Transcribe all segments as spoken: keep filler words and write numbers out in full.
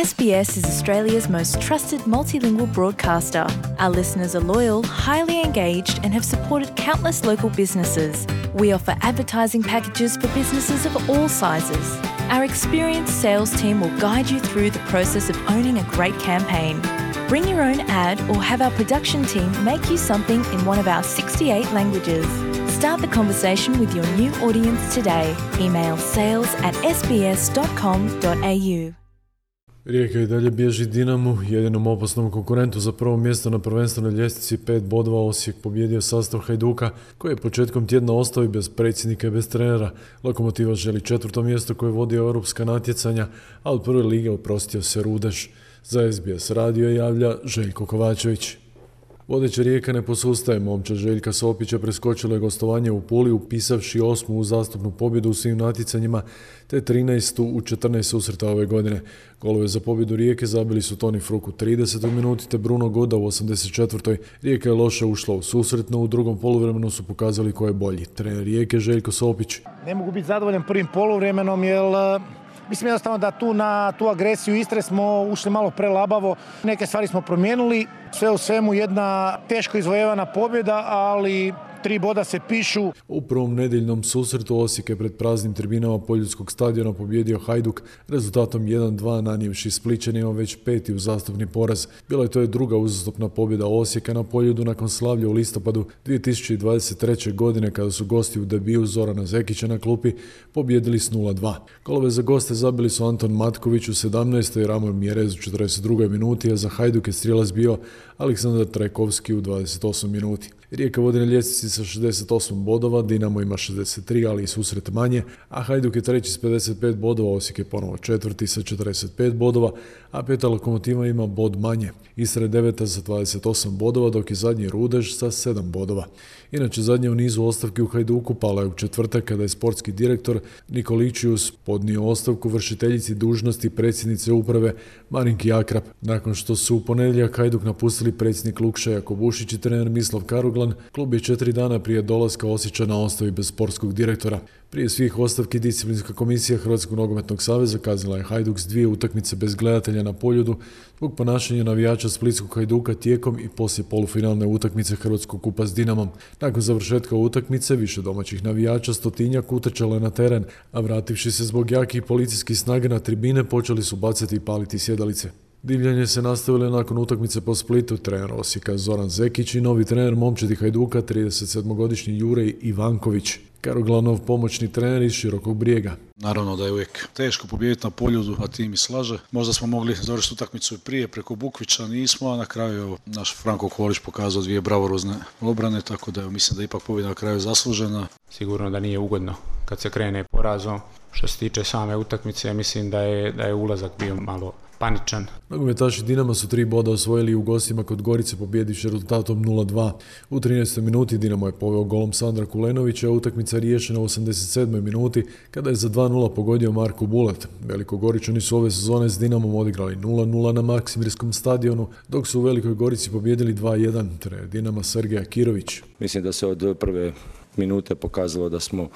S B S is Australia's most trusted multilingual broadcaster. Our listeners are loyal, highly engaged, and have supported countless local businesses. We offer advertising packages for businesses of all sizes. Our experienced sales team will guide you through the process of owning a great campaign. Bring your own ad or have our production team make you something in one of our sixty-eight languages. Start the conversation with your new audience today. Email sales at s b s dot com dot a u. Rijeka i dalje bježi Dinamu, jedinom opasnom konkurentu za prvo mjesto na prvenstvenoj ljestvici. Pet bodova Osijek pobjedio sastav Hajduka, koji je početkom tjedna ostao i bez predsjednika i bez trenera. Lokomotiva želi četvrto mjesto koje vodi europska natjecanja, a od prve lige oprostio se Rudeš. Za S B S radio javlja Željko Kovačević. Vodeća Rijeka ne posustaje. Momčad Željka Sopića preskočila je gostovanje u Puli, upisavši osmu uzastopnu pobjedu u svim natjecanjima, te trinaestu u četrnaest susreta ove godine. Golove za pobjedu Rijeke zabili su Toni Fruk u tridesetoj minuti te Bruno Goda u osamdeset četvrtoj Rijeka je loše ušla u susret, no u drugom poluvremenu su pokazali ko je bolji. Trener Rijeke Željko Sopić. Ne mogu biti zadovoljan prvim poluvremenom jer mislim jednostavno da tu na tu agresiju Istre smo ušli malo prelabavo. Neke stvari smo promijenili. Sve u svemu jedna teško izvojevana pobjeda, ali tri boda se pišu. U prvom nedjeljnom susretu Osijek je pred praznim tribinama Poljudskog stadiona pobjedio Hajduk rezultatom jedan dva, nanijevši Splićanima već peti uzastopni poraz. Bila je to je druga uzastopna pobjeda Osijeka na Poljudu nakon slavlja u listopadu dvije tisuće dvadeset treće. godine kada su gosti u debiju Zorana Zekića na klupi pobjedili s nula dva. Golove za goste zabili su Anton Matković u sedamnaestoj i Ramon Mjerez u četrdeset drugoj minuti, a za Hajduk je strijelac bio Aleksandar Trajkovski u dvadeset osmoj minuti. Rijeka vodi na ljestvici sa šezdeset osam bodova, Dinamo ima šezdeset tri, ali i susret manje, a Hajduk je treći s pedeset pet bodova, Osijek je ponovo četvrti sa četrdeset pet bodova, a peta Lokomotiva ima bod manje. Istra je deveta sa dvadeset osam bodova, dok je zadnji Rudeš sa sedam bodova. Inače, zadnje u nizu ostavki u Hajduku pala je u četvrtak kada je sportski direktor Nikoličius podnio ostavku vršiteljici dužnosti predsjednice uprave Marinki Akrap. Nakon što su u ponedjeljak Hajduk napustili predsjednik Lukša Jakobušić i trener Mislav Karuglan, klub je četiri dana prije dolaska Osječana ostao bez sportskog direktora. Prije svih ostavki disciplinska komisija Hrvatskog nogometnog saveza kaznila je Hajduk s dvije utakmice bez gledatelja na Poljudu zbog ponašanja navijača splitskog Hajduka tijekom i poslije polufinalne utakmice Hrvatskog kupa s Dinamom. Nakon završetka utakmice više domaćih navijača stotinjak utrčalo je na teren, a vrativši se zbog jakih policijskih snaga na tribine počeli su bacati i paliti sjedalice. Divljanje se nastavilo nakon utakmice po Splitu. Trener Osijeka Zoran Zekić i novi trener momčadi Hajduka trideset sedmogodišnji Jure Ivanković. Karoglanov pomoćni trener iz Širokog Brijega. Naravno da je uvijek teško pobijediti na Poljudu, a tim i slaže. Možda smo mogli završiti utakmicu i prije preko Bukvića, nismo, a na kraju evo, naš Franko Kolić pokazao dvije bravorozne obrane, tako da evo, mislim da je ipak pobjeda na kraju zaslužena. Sigurno da nije ugodno kad se krene porazom. Što se tiče same utakmice, mislim da je, da je ulazak bio malo paničan. Nogometaši Dinama su tri boda osvojili u gostima kod Gorice pobjedivši rezultatom nula dva. U trinaestoj minuti Dinamo je poveo golom Sandra Kulenovića, a utakmica riješena u osamdeset sedmoj minuti kada je za dva nula pogodio Marko Bulat. Velikogoričani su ove sezone s Dinamom odigrali nula nula na Maksimirskom stadionu, dok su u Velikoj Gorici pobjedili dva jedan. Trener Dinama Sergej Akirović. Mislim da se od prve minute pokazalo da smo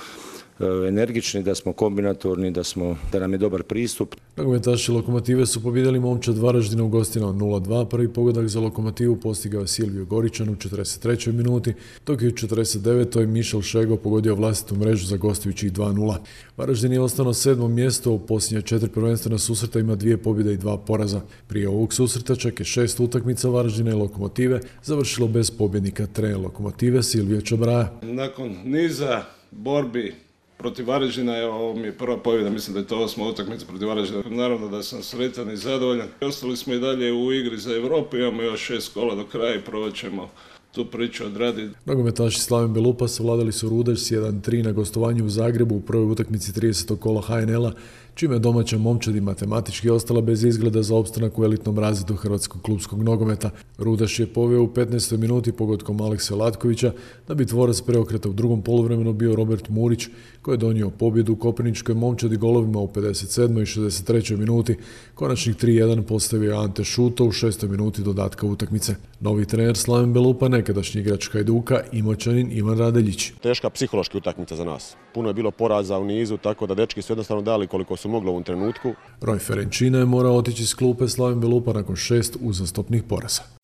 energični, da smo kombinatorni, da, smo, da nam je dobar pristup. Nogometaši Lokomotive su pobjedili Momčad Varaždina u gostima nula dva. Prvi pogodak za Lokomotivu postigao je Silvio Goričan u četrdeset trećoj minuti, dok je u četrdeset devetoj Mišel Šego pogodio vlastitu mrežu za gostujućih dva nula. Varaždin je ostao na sedmom mjestu, u posljednje četiri prvenstvena susreta ima dvije pobjede i dva poraza. Prije ovog susreta čak je šest utakmica Varaždina i Lokomotive završilo bez pobjednika. Trener Lokomotive Silvio Čabraja. Nakon niza borbi protiv Varaždina, evo, ovo mi je prva pobjeda, mislim da je to osma utakmica protiv Varaždina. Naravno da sam sretan i zadovoljan. Ostali smo i dalje u igri za Europu, imamo još šest kola do kraja i provat ćemo tu priču odraditi. Nogometaši Slaven Belupa savladali su Rudeš s jedan tri na gostovanju u Zagrebu u prvoj utakmici tridesetog kola H N L-a, čime je domaća momčad i matematički ostala bez izgleda za opstanak u elitnom razredu hrvatskog klupskog nogometa. Rudeš je poveo u petnaestoj minuti pogodkom Alekse Latkovića, da bi tvorac preokreta u drugom poluvremenu bio Robert Murić, koji je donio pobjedu u kopirničkoj momčadi golovima u pedeset sedmoj i šezdeset trećoj minuti. Konačnih tri jedan postavio Ante Šuto u šestoj minuti dodatka utakmice. Novi trener Slaven Belupa ne nekadašnji igrač Hajduka, Imoćanin Ivan Radeljić. Teška psihološka utakmica za nas. Puno je bilo poraza u nizu, tako da dečki su jednostavno dali koliko su mogli u ovom trenutku. Roj Ferenčina je morao otići s klupe Slaven Belupa nakon šest uzastopnih poraza.